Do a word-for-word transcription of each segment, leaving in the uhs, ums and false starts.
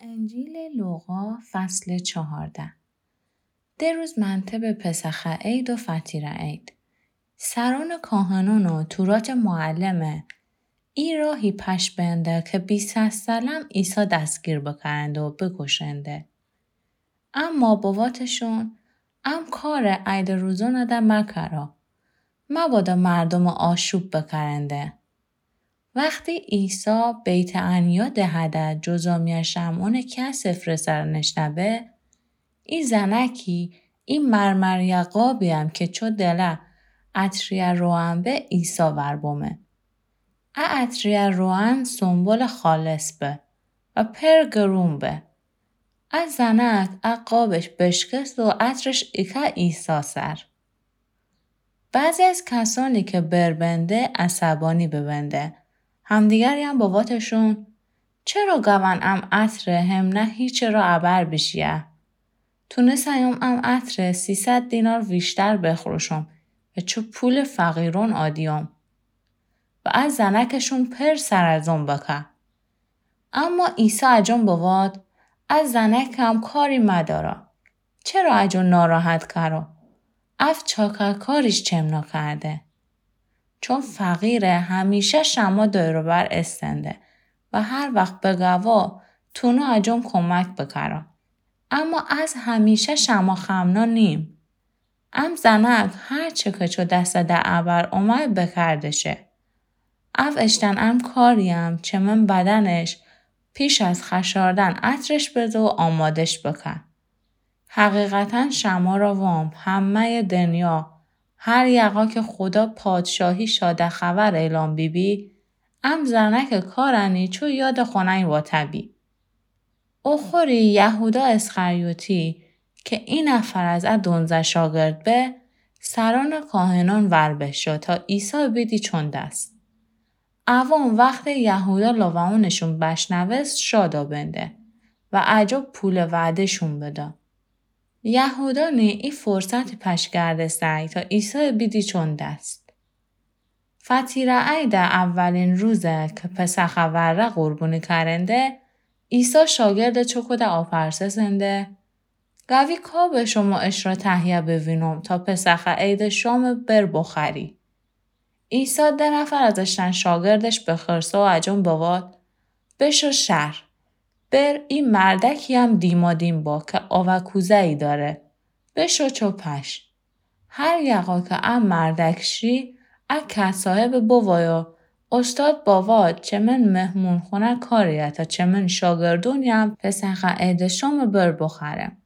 انجیل لوقا، فصل چهارده. ده روز منتبه پسخه عید و فطیره عید. سران کاهنان و تورات معلمه ای راهی پش بنده که بیسه سلم عیسی دستگیر بکرنده و بکشنده. اما بواتشون، ام کار عید روزانه ده مکرا، مبادا مردم آشوب بکرنده. وختی عیسی بیت‌عنیا دهه ده جذامیأ شمعونٚ کیه سفره سر نشته‌به، ای زنکی ای مرمریأ قابی‌یم که چو دله عطریأ روغن به عیسی ور بمه. ا عطریأ روغن سنبلٚ خالص به و پر گرون به. ا زنک ا قابش بشکست و عطرش ایکه عیسی سر. بعضی از کسانی که بر بنده عصبانی ببنده، همدیگری‌یم بواتشون، چرا گون ام عطره همنه هیچی را ابر بیشیه؟ تونسه‌یم ام عطره سیصد دینار ویشتر بخروشم و چو پولٚ فقیرون آدیم و ا زنکشون پر سر از اون بکه. اما عیسی اجون بوات، ا زنکم کاری مدارا. چرا اجون ناراحت کرو؟ اف چاکرکاریش چمنا کرده. چون فقیره همیشه شما دور و بر استنده و هر وخت بگوا تونو اجون کمک بکرا. اما از همیشه شما خمنا نیم. ام زنک هر چه که چو دسته ده ابر اومه بکرده شه. اف اشتن ام کاری‌یم چمن بدنش پیش از خشاردن عطرش بده و آمادش بکه. حقیقتاً شما را وام، همه‌یٚ دنیا، هر یقا که خودا پادشاهی شاده خبر اعلان بیبی، ام زنکٚ کارنی چو یاد خونه‌یی واته بی. اوخوری یهودا اسخریوطی که ای نفر از ا دونزه شاگرد به، سرانٚ کاهنأن ور بشو تا عیسی بیدی چون دس. اوان وختی یهودا لوعونشون بشنوست شادا بنده و اجو پولٚ وعده‌شون بدا. یهودا نی ای فرصتی پش گردسته‌یی تا عیسای بیدی چون دس. فطیره عیدٚ اولین روزه که پسخٚ وره قربونی کرنده، عیسی شاگردٚ چوکوده آپرسسنده، گوی کا به شما اشرا تهیه بوینم تا پسخٚ عیدٚ شامٚ بر بخوری؟ عیسی ده نفر از اشتن شاگردش بخرسه و اجون بوات، بشو شهر، بر ای مردکی‌یم دیمادیم با که آوه کوزه‌یی داره، بشو چو پش. هر یقا که ا مردک شی، ا کسایه به بووایا، استاد بوات چمن مهمونخونه کاریه تا چمن شاگردونیم پسخٚ عیدٚ شامٚ بر بخورم.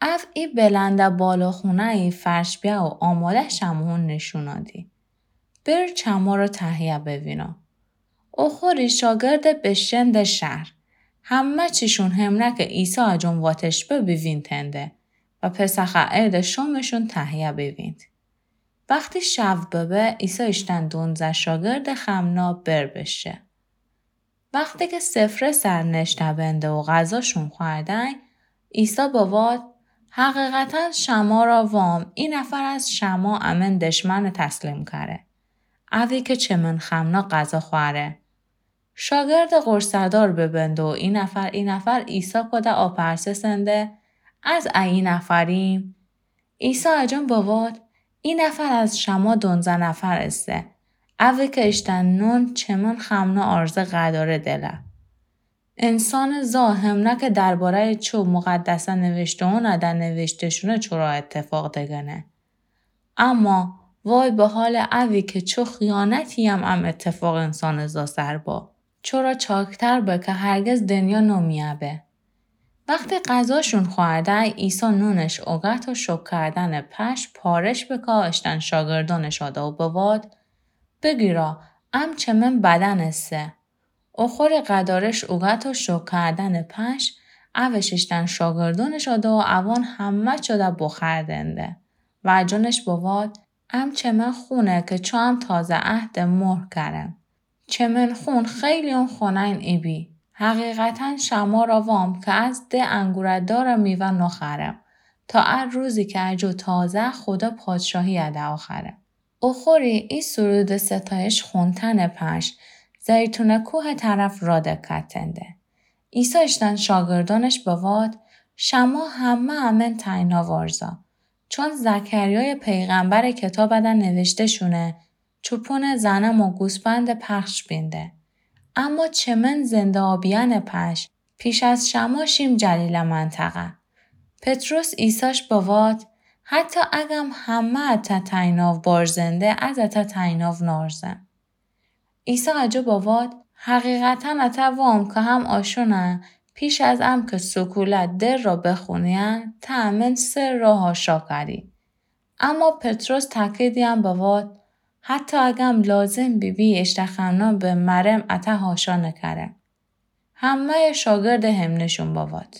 اف ای بلنده بالا خونه‌یی فرش بیه و آماده شمهون نشونا دی. بر چمارا تهیه بوینا. اوخوری شاگرده بشنده شهر. همه چیشون همره که عیسی اجون واتش به بیوینتنده و پسخٚ عیدٚ شامشون تهیه بیوینت. وختی شو ببه، عیسی اشتن دونزه شاگردٚ خمنا بر بشه. وختی که سفره سر نشته بنده و غذاشون خوردن، عیسی بوات، حقیقتاً شمارا وام، ای نفر از شما امن دشمن تسلیم کره. اوی که چمن خمنا غذا خوره. شاگردٚ غرصه‌دار ببنده و ای نفر ای نفر عیسی کوده آپرسسنده، از ا ای نفریم؟ عیسی اجون بوات، ای نفر از شما دونزه نفر اسه، اوی که اشتن نون چمن خمنا آرزه قداره دله. انسانٚ زا همنه که درباره‌یٚ چو مقدسه نوشته‌یونه ده نوشته شونه چورا اتفاق دگنه. اما وای به حالٚ اوی که چو خیانتی‌یم ام اتفاق انسانٚ زا سر با. چورا چاکتر به که هرگز دنیا نومیأ به. وختی غذاشون خورده، عیسی نونش اوگت و شکر کردنٚ پش پارش بکا اشتن شاگردونش آدا و بوات، بگیرا، ام چمن بدن اسه. اوخوری قدارش اوگت و شکر کردنٚ پش اوش اشتن شاگردونش آدا و اوان همه چوده بخوردنده. و اجونش بوات، ام چمن خونه که چو ام تازه عهدٚ مهر کرم. چمن خون خیلیون خونه‌ین ایبی. حقیقتاً شمارا وام که از ده انگوره دارٚ میوه نخورم تا ا روزی که اجو تازه خودا پادشاهی اده آخرم. اوخوری ای سرودٚ ستایش خوندنٚ پش زیتونٚ کوهٚ طرف را دکتنده. عیسی اشتن شاگردونش بواد، شما همه امن تنها وارزا. چون زکریای پیغمبر کتابده نوشته شونه، چوپون زنم و گوسپند پخش بینده. اما چمن زنده آبیان پش، پیش از شما شیم جلیل منطقه. پطرس عیساش بواد، حتی اگم همه اته تنها وارزنده، از اته تنها نارزم. عیسی اجو بواد، حقیقتاً اته وام که هم آشونه، پیش از ام که سکولت در را بخونیه، ته امن سر را حاشا کری. اما پطرس تاکیدیان بواد، حتی اگم لازم بیبی اشتخمنا به مرم اته حاشا نکرم. همهٔ شاگرد همنشون بواد.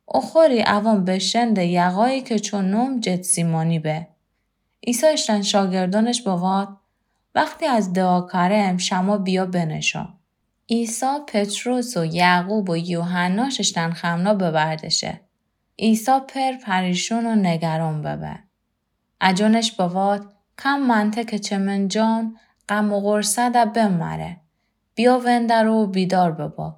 اوخوری اوان بشنده یقایی که چو نوم جتسیمانی به. عیسی اشتن شاگردونش بواد، وقتی از دعا کرم شما بیا بنشو. عیسی پطرس و یعقوب و یوحناش اشتن خمنا ببردشه. عیسی پر پریشون و نگران ببه. اجونش بواد، کم منطقه چمن جان غم و غرصه ده بمره. بیا وندر و بیدار ببا.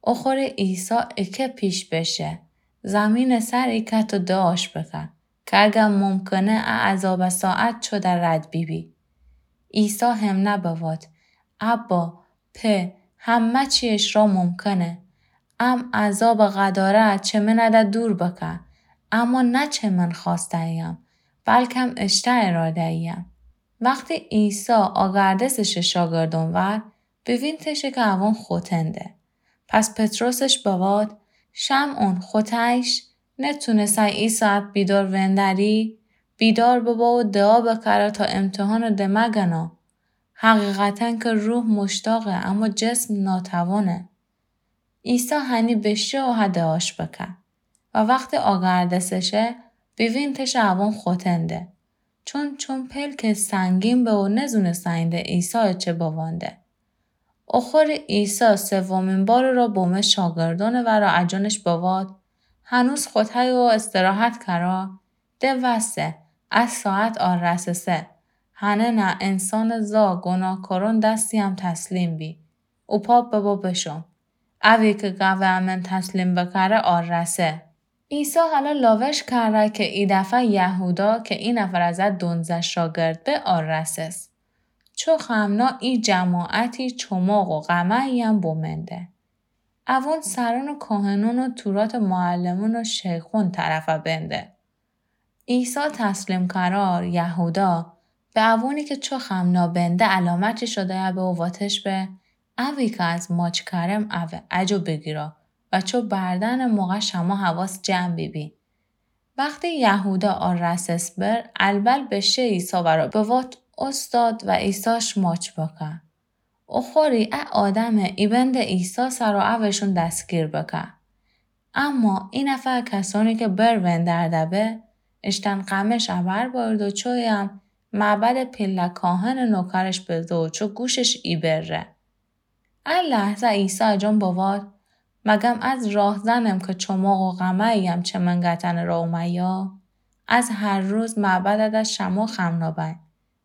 اوخوری عیسی اکه پیش بشه. زمین سر ایکت و دعاش بکه که اگه ممکنه ا عذاب ساعت چو ده رد بیبی. عیسی همنه بواد، ابا، په، همه چی اشرا ممکنه. ام عذاب غداره چمن ده دور بکه، اما نه چمن خواسته ایم، بلکم اشته اراده ایم. وقتی عیسی آگردسش شاگردون ور، بوینتش که اوان خوتنده. پس پطرسش بواد، شمعون، خوته‌یش نتونسه ای ساعت بیدار وندری؟ بیدار ببا و دعا بکره تا امتحان ده مگنه. حقیقتاً که روح مشتاقه، اما جسم ناتوانه. عیسی هنی بشه و ها دعاش بکه. و وقتی آگردسه شه، بوینتش اوان خوتنده. چون، چون پلک سنگین به و نزونسته اینده عیسی چه بوانده. اوخوری عیسی سومین بار را بومه شاگردون ور و اجونش بواد، هنوز خوته‌یی و استراحت کرا؟ ده وسه، ا ساعت آرسسه. هنه نه انسان زا گناهکارون دستی هم تسلیم بی. اوپا ببا بشو. اوی که گاوه امن تسلیم بکره آرسه. عیسی حالا لاوش کره که ای دفعه یهودا که ای نفر از ا دونزه شاگرد به آرسس. چو خمنا ای جماعتی چماق و غمه‌یی هم بومنده. اوون سرون کاهنون و تورات معلمون و شیخون طرفه بنده. عیسی تسلیم کرار یهودا به اوونی که چو خمنا بنده علامتی شده به و واتش به، اوی که از ماچ کرم اوه، اجو بگیرا و چو بردن موقع شما حواس جمع بیبی. وقتی یهودا آرسس بر، البل بشه عیسی ورا بوات استاد و عیساش ماچ بکه. اوخوری ا آدمه ایبند عیسی سرا اوشون دستگیر بکه. اما ای نفر کسونی که بر وندرده به، اشتن غمش ابر بارد و چویم معبد پیله کاهن نوکرش بزه و چو گوشش ایبره. ا لحظه عیسی جان بواد، مگم از راهزنم که چماق و غمه‌یم چمن گتن را اومیا؟ از هر روز معبدت شمو خمنا بین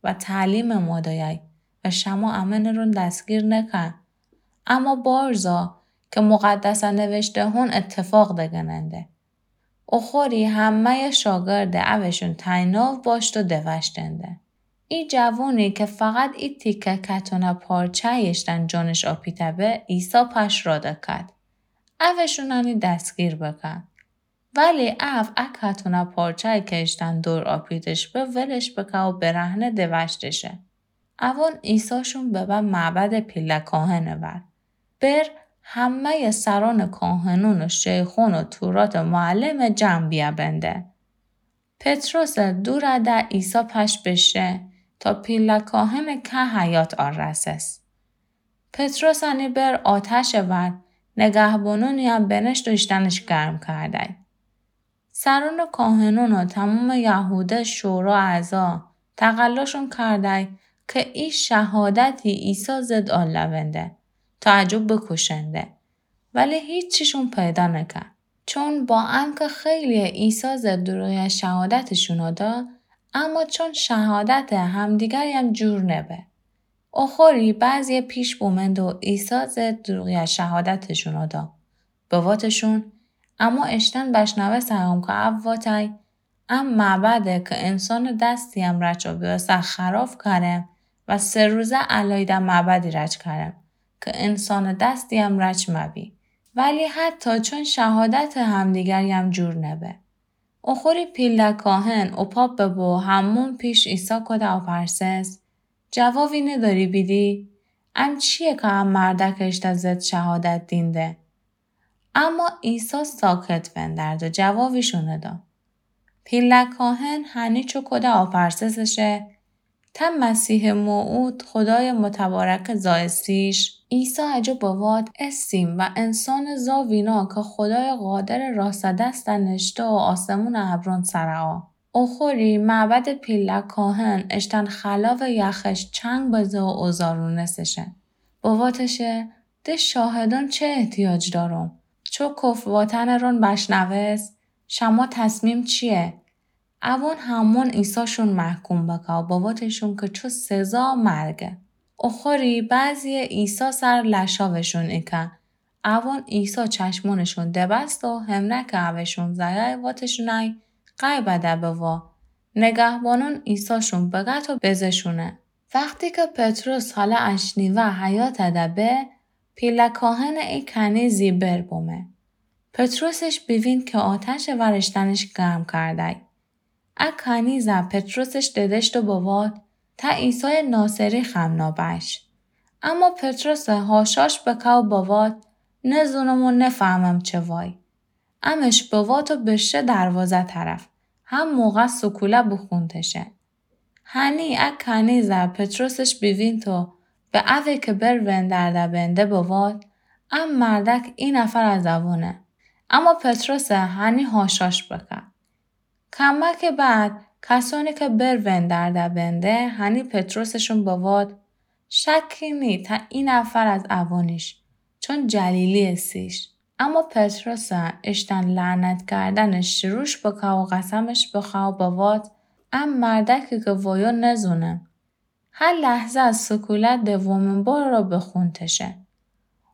و تعلیم مادایای و شمو امنرون دستگیر نکن. اما بارزا که مقدسه نوشته هون اتفاق دگننده. اوخوری همه‌ی شاگرد اوشون تنیناو باشت و دوشتنده. ای جوونی که فقط ای تیکه کتونه پارچه ایشتن جانش آپیته به، عیسی پش را دکد. اوشون انی دستگیر بکن. ولی او ا کتونه پارچه که ایشتن دور آپیتش به ولش بکه و برهنه دوشتشه. اوون عیساشون ببه معبد پیله کاهن ور. بر همه‌ی سران کاهنون و شیخون و تورات معلم جمع بیه بنده. پطرس دور ده عیسی پش بشه تا پیله کاهن که حیات آرسس. پطرس انی بر آتش ور، نگهبانونی هم بنشت و ایشتنش گرم کردی. سرون کاهنون و تمام یهوده شورا اعضا تقلاشون کردی که ای شهادتی عیسی ضد آلونده تا اجو بکشنده، ولی هیچیشون پیدا نکن. چون با انکه خیلی عیسی ضد دروغی شهادتشون دا، اما چون شهادت همدیگری هم جور نبه. اوخوری بعضی پیش بومند و عیسی ضد دروغی شهادتشون دا. بواتشون، اما اشتن بشنوسته‌یم که او واتای، ا معبده که انسانٚ دستی امرأ چوبیوسه خراب کارم و سه روزه الایده معبدی رج کارم که انسانٚ دستی امرأ چ مبی. ولی حتی چون شهادتٚ همدیگریم جور نبه. اوخوری پیله کاهن اوپا ببو همون پیش عیسی کوده اوپرسس، جوابی نداری بیدی؟ ام چیه که ا مردک اشته ضد شهادت دینده؟ اما عیسی ساکت وندرد و جوابیشو نداد. پیله کاهن هنی چو کوده اوپرسسه، ته مسیحٚ موعود خودایٚ متبارکه زایستیش؟ عیسی اجو بوات، استیم و انسانٚ زا وینا که خودایٚ قادرٚ راسته دسته نشته و آسمونٚ ابرون سره آ. اوخوری معبدٚ پیله کاهن اشتن خلاوٚ یخش چنگ بزه و اوزارونسشن. بواتشه، ده شاهدان چه احتیاج داروم؟ چو کف واتنٚ رون بشنوست، شما تصمیم چیه؟ اوان همون عیساشون محکوم بکه و بواتشون که چو سزا مرگه. اوخوری بعضیه عیسی سر لشاوشون ایکه. اوان عیسی چشمونشون دبست و همره که اوشون زایه واتشونای قای بده بوا. نگهبانون عیساشون بگت و بزه‌شونه. وختی که پطرس حالا اشنیوه حیاطه ده به، پیله کاهنٚ ای کنیزی بر بومه. پطرسش بیوین که آتشٚ ور اشتنش گرم کردی. ا کنیزه پطرسش ددشت و بوات، ته عیسایٚ ناصری خم نابش. اما پطرس هاشاش بکه و بوات، نزونم و نفهمم چه وای. امش بوات و بشه دروازه طرف. هم موقع سکوله بخونتشه. هنی ا کنیزه پطرسش بیوینت و به اوه که بر وندرده بنده بوات، ا مردک ای نفر از اوانه. اما پطرس هنی هاشاش بکه. کمکٚ بعد کسانی که بر وندرده بنده هنی پطرسشون بوات، شکی نی ته ای نفر از اوانیش، چون جلیلی استیش. اما پطرس اشتن لعنت کردنش شروش بکه و قسمش بخوه و بوات، ا مردکی که وایو نزونم. هه لحظه از سکولت دومین بار را بخونتشه.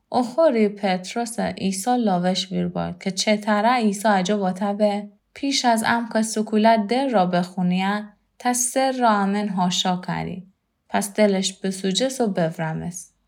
اوخوری پطرس عیسی لاوش ویر بارد که چه‌تره عیسی اجو واته به، پیش از امه که سکولت در را بخونیه، ته سر را امن هاشا کری. پس دلش بسوجس و بورمس.